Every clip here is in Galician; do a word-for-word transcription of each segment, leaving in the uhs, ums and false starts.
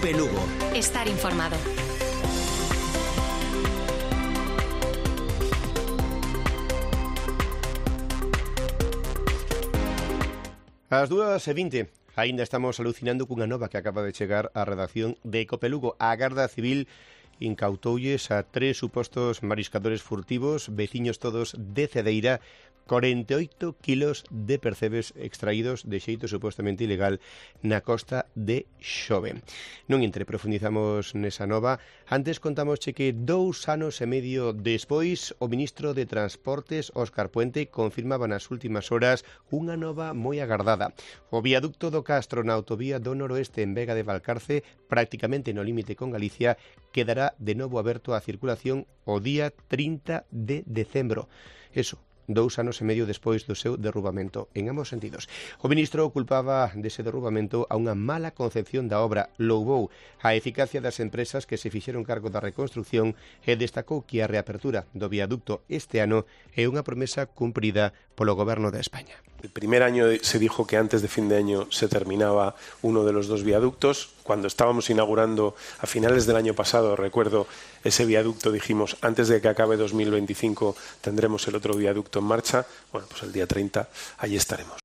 COPE Lugo. Estar informado. Ás dúas e vinte, aínda estamos alucinando cunha nova que acaba de chegar á redacción de COPE Lugo. A Garda Civil incautolles a tres supostos mariscadores furtivos, veciños todos de Cedeira, corenta e oito kilos de percebes extraídos de xeito supostamente ilegal na costa de Xove. Non entre, profundizamos nesa nova. Antes contamos que dous anos e medio despois o ministro de Transportes, Óscar Puente, confirmaba nas últimas horas unha nova moi agardada. O viaducto do Castro na autovía do Noroeste en Vega de Valcarce, prácticamente no límite con Galicia, quedará de novo aberto á circulación o día trinta de decembro. Eso, dous anos e medio despois do seu derrubamento, en ambos sentidos. O ministro culpaba dese derrubamento a unha mala concepción da obra, louvou a eficacia das empresas que se fixeron cargo da reconstrucción e destacou que a reapertura do viaducto este ano é unha promesa cumprida polo Goberno de España. El primer año se dijo que antes de fin de año se terminaba uno de los dos viaductos. Cuando estábamos inaugurando a finales del año pasado, recuerdo ese viaducto, dijimos antes de que acabe dos mil veinticinco tendremos el otro viaducto en marcha. Bueno, pues el día treinta allí estaremos.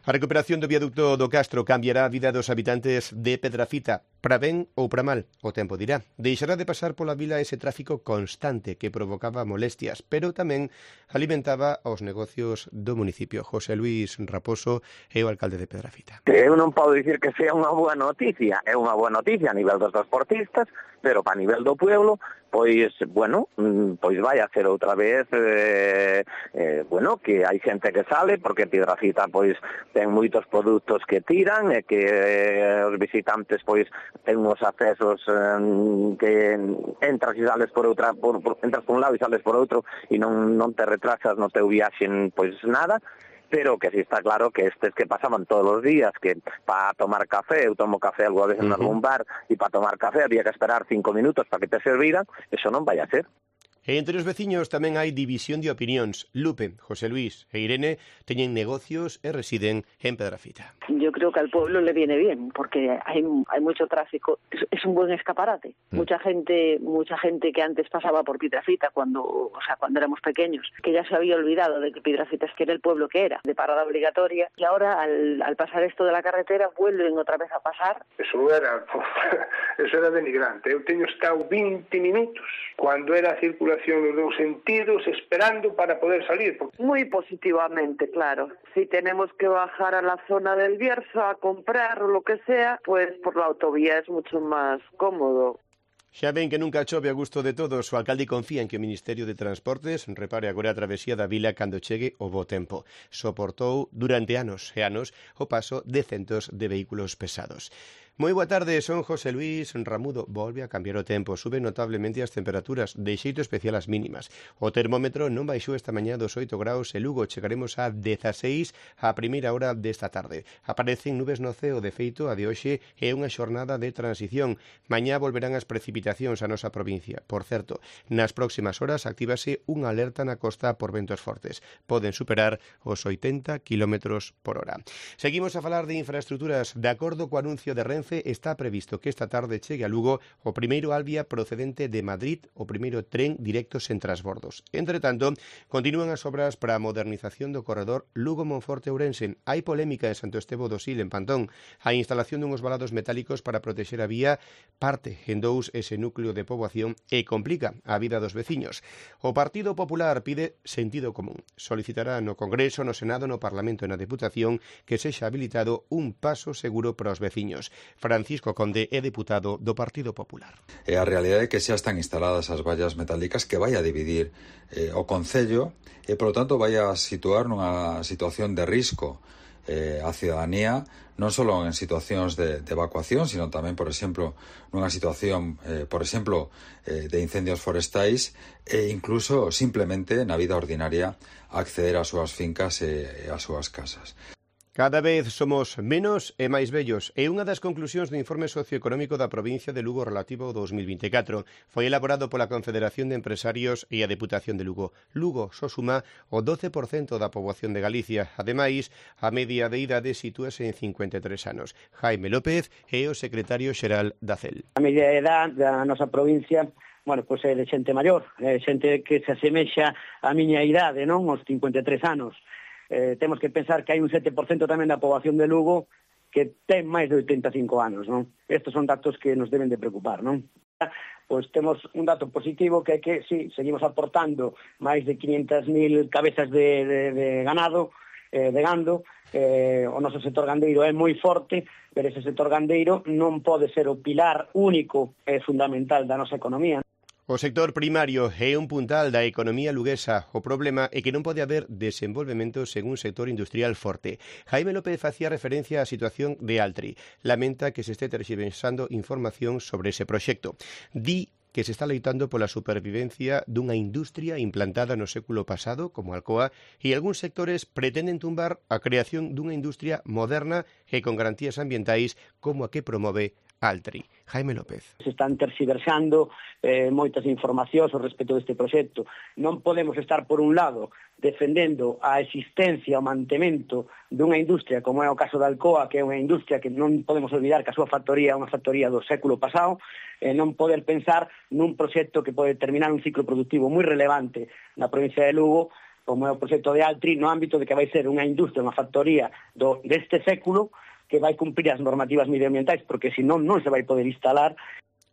A recuperación do viaducto do Castro cambiará a vida dos habitantes de Pedrafita, para ben ou para mal, o tempo dirá. Deixará de pasar pola vila ese tráfico constante que provocaba molestias, pero tamén alimentaba os negocios do municipio. José Luis Raposo é o alcalde de Pedrafita. Eu non podo dicir que sea unha boa noticia, é unha boa noticia a nivel dos transportistas, pero para nivel do pueblo, pois, bueno, pois vai a ser outra vez, eh, eh, bueno, que hai xente que sale, porque Pedrafita, pois, ten moitos produtos que tiran, e que eh, os visitantes, pois, ten uns accesos eh, que entras e sales por outra, por, por, entras por un lado e sales por outro, e non, non te retrasas no teu viaxe, pois, nada. Pero que sí está claro que estes que pasaban todos os días, que para tomar café, eu tomo café algo a veces en algún bar, e para tomar café había que esperar cinco minutos para que te serviran, eso non vai a ser. E entre os veciños tamén hai división de opinións. Lupe, José Luis e Irene teñen negocios e residen en Pedrafita. Yo creo que al pueblo le viene bien, porque hay, hay mucho tráfico. Es, es un buen escaparate. Mm. Mucha gente mucha gente que antes pasaba por Pedrafita cuando, o sea, cuando éramos pequeños, que ya se había olvidado de que Pedrafita es que era el pueblo que era, de parada obligatoria, y ahora al, al pasar esto de la carretera vuelven otra vez a pasar. Eso era, eso era denigrante. Eu teño estado veinte minutos cuando era a circulación nos dos sentidos esperando para poder salir. Muy positivamente, claro. Si tenemos que bajar a la zona del Bierzo a comprar o lo que sea, pues por la autovía es mucho más cómodo. Xa ven que nunca chove a gusto de todos. O alcalde confía en que o Ministerio de Transportes repare agora a travesía da vila cando chegue o bo tempo. Soportou durante anos e anos o paso de centos de vehículos pesados. Moi boa tarde, son José Luis Ramudo. Volve a cambiar o tempo, sube notablemente as temperaturas, de xeito especial as mínimas. O termómetro non baixou esta mañá dos oito graus e Lugo chegaremos a dezaseis a primeira hora desta tarde. Aparecen nubes no ceo, de feito, a de hoxe é unha xornada de transición. Mañá volverán as precipitacións a nosa provincia. Por certo, nas próximas horas actívase unha alerta na costa por ventos fortes. Poden superar os oitenta kilómetros por hora. Seguimos a falar de infraestructuras. De acordo co anuncio de Renfe, está previsto que esta tarde chegue a Lugo o primeiro Alvia procedente de Madrid, o primeiro tren directo sen transbordos. Entre tanto, continúan as obras para a modernización do corredor Lugo-Monforte-Ourense. Hai polémica en Santo Estevo do Sil, en Pantón. A instalación dunhos valados metálicos para protexer a vía parte en dous ese núcleo de poboación e complica a vida dos veciños. O Partido Popular pide sentido común. Solicitará no Congreso, no Senado, no Parlamento e na Deputación que sexa habilitado un paso seguro para os veciños. Francisco Conde é deputado do Partido Popular. E a realidade é que xa están instaladas as vallas metálicas que vai a dividir eh, o Concello e, polo tanto, vai a situar nunha situación de risco eh, a cidadanía, non só en situacións de, de evacuación, sino tamén, por exemplo, nunha situación, eh, por exemplo, eh, de incendios forestais e incluso simplemente na vida ordinaria acceder ás súas fincas e, e ás súas casas. Cada vez somos menos e máis vellos. É unha das conclusións do informe socioeconómico da provincia de Lugo relativo ao dos mil vinte e catro. Foi elaborado pola Confederación de Empresarios e a Deputación de Lugo. Lugo só suma o doce por cento da poboación de Galicia. Ademais, a media de idade sitúase en cincuenta e tres anos. Jaime López é o secretario xeral da C E L. A media de idade da nosa provincia, bueno, pois é de xente maior, é xente que se asemexa á miña idade, non? Os cincuenta e tres anos. Eh, temos que pensar que hai un sete por cento tamén da poboación de Lugo que ten máis de oitenta e cinco anos, non? Estos son datos que nos deben de preocupar, non? Pois temos un dato positivo que é que, sí, seguimos aportando máis de quinhentas mil cabezas de, de, de ganado, eh, de gando, eh, o noso sector gandeiro é moi forte, pero ese sector gandeiro non pode ser o pilar único e fundamental da nosa economía. O sector primario é un puntal da economía luguesa. O problema é que non pode haber desenvolvemento sen un sector industrial forte. Jaime López facía referencia á situación de Altri. Lamenta que se este terxiversando información sobre ese proxecto. Di que se está loitando pola supervivencia dunha industria implantada no século pasado, como Alcoa, e algúns sectores pretenden tumbar a creación dunha industria moderna e con garantías ambientais como a que promove Altri. Jaime López. Se están terxiversando eh, moitas informacións ao respecto deste proxecto. Non podemos estar, por un lado, defendendo a existencia, o mantemento dunha industria, como é o caso da Alcoa, que é unha industria que non podemos olvidar que a súa factoría é unha factoría do século pasado, e non poder pensar nun proxecto que pode terminar un ciclo productivo moi relevante na provincia de Lugo, como é o proxecto de Altri, no ámbito de que vai ser unha industria, unha factoría do, deste século, que vai cumprir as normativas medioambientais, porque senón non se vai poder instalar.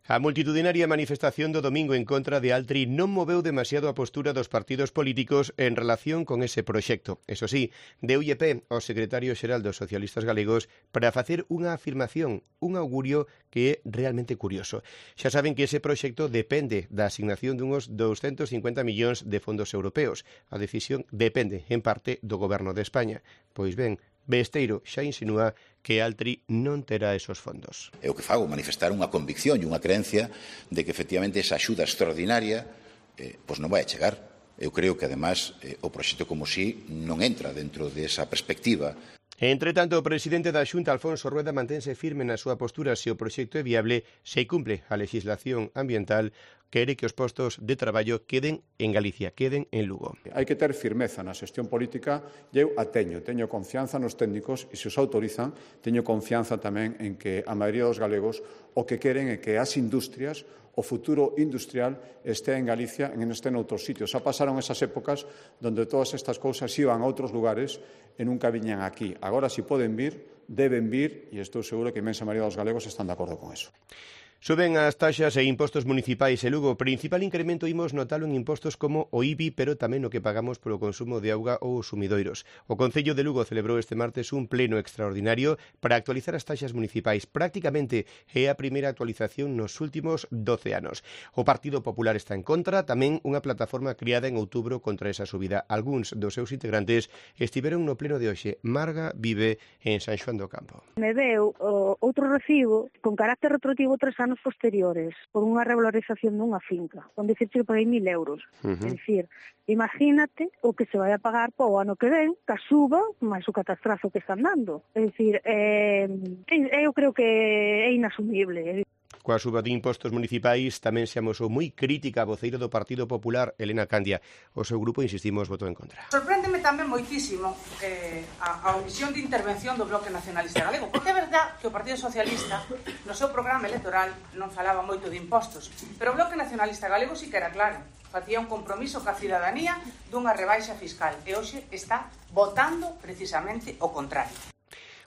A multitudinaria manifestación do domingo en contra de Altri non moveu demasiado a postura dos partidos políticos en relación con ese proxecto. Eso sí, deulle pé ao secretario xeral dos socialistas galegos para facer unha afirmación, un augurio que é realmente curioso. Xa saben que ese proxecto depende da asignación dunhos doscientos cincuenta millóns de fondos europeos. A decisión depende, en parte, do goberno de España. Pois ben, Besteiro xa insinúa que Altri non terá esos fondos. É o que fago, manifestar unha convicción e unha creencia de que efectivamente esa axuda extraordinaria eh, pois non vai a chegar. Eu creo que, además, eh, o proxecto como si non entra dentro desa perspectiva. Entre tanto, o presidente da Xunta, Alfonso Rueda, mantense firme na súa postura se o proxecto é viable, se cumple a legislación ambiental, quere que os postos de traballo queden en Galicia, queden en Lugo. Hai que ter firmeza na xestión política e eu a teño, teño confianza nos técnicos e se os autorizan, teño confianza tamén en que a maioría dos galegos o que queren é que as industrias, o futuro industrial este en Galicia e non este en outros sitios. Xa pasaron esas épocas onde todas estas cousas iban a outros lugares e nunca viñan aquí. Agora, si poden vir, deben vir e estou seguro que a inmensa maioría dos galegos están de acordo con eso. Suben as taxas e impostos municipais e Lugo. O principal incremento imos notalo en impostos como o I B I, pero tamén o que pagamos polo consumo de auga ou os sumidoiros. O Concello de Lugo celebrou este martes un pleno extraordinario para actualizar as taxas municipais. Prácticamente é a primeira actualización nos últimos doce anos. O Partido Popular está en contra, tamén unha plataforma criada en outubro contra esa subida. Algúns dos seus integrantes estiveron no pleno de hoxe. Marga vive en San Xoán do Campo. Me veu o, outro recibo con carácter retroactivo tres anos posteriores por unha regularización dunha finca, onde dicir que paguei mil euros. Uh -huh. É dicir, imagínate o que se vai a pagar para o ano que ven, que suba, máis o catastrazo que están dando. É dicir, eh, eu creo que é inasumible. Coa suba de impostos municipais tamén se amosou moi crítica a voceiro do Partido Popular, Elena Candia. O seu grupo, insistimos, votou en contra. Sorpréndeme tamén moitísimo eh, a, a omisión de intervención do Bloque Nacionalista Galego, porque é verdad que o Partido Socialista no seu programa electoral non falaba moito de impostos, pero o Bloque Nacionalista Galego sí que era claro, facía un compromiso ca cidadanía dunha rebaixa fiscal e hoxe está votando precisamente o contrario.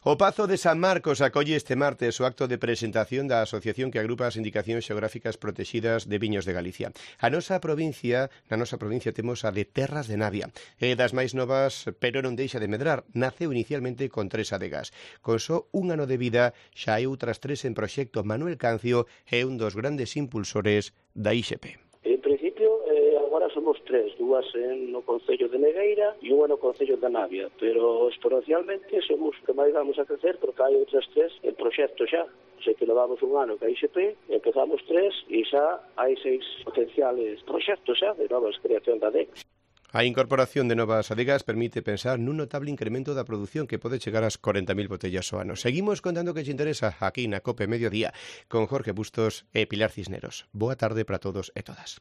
O Pazo de San Marcos acolle este martes o acto de presentación da asociación que agrupa as indicacións xeográficas protexidas de viños de Galicia. A nosa provincia, na nosa provincia temos a de Terras de Navia. É das máis novas, pero non deixa de medrar. Naceu inicialmente con tres adegas. Con só un ano de vida, xa hai outras tres en proxecto. Manuel Cancio é un dos grandes impulsores da I X P. En principio, eh, agora somos tres, dúas en no Concello de Negueira e unha no Concello de Navia, pero exponencialmente somos que máis vamos a crecer porque hai outras tres en proxecto xa. Sei que levamos un ano que a I X P, empezamos tres e xa hai seis potenciales proxectos xa de novas creación da D E C. A incorporación de novas adegas permite pensar nun notable incremento da produción que pode chegar ás corenta mil botellas ao ano. Seguimos contando que te interesa aquí na COPE Mediodía con Jorge Bustos e Pilar Cisneros. Boa tarde para todos e todas.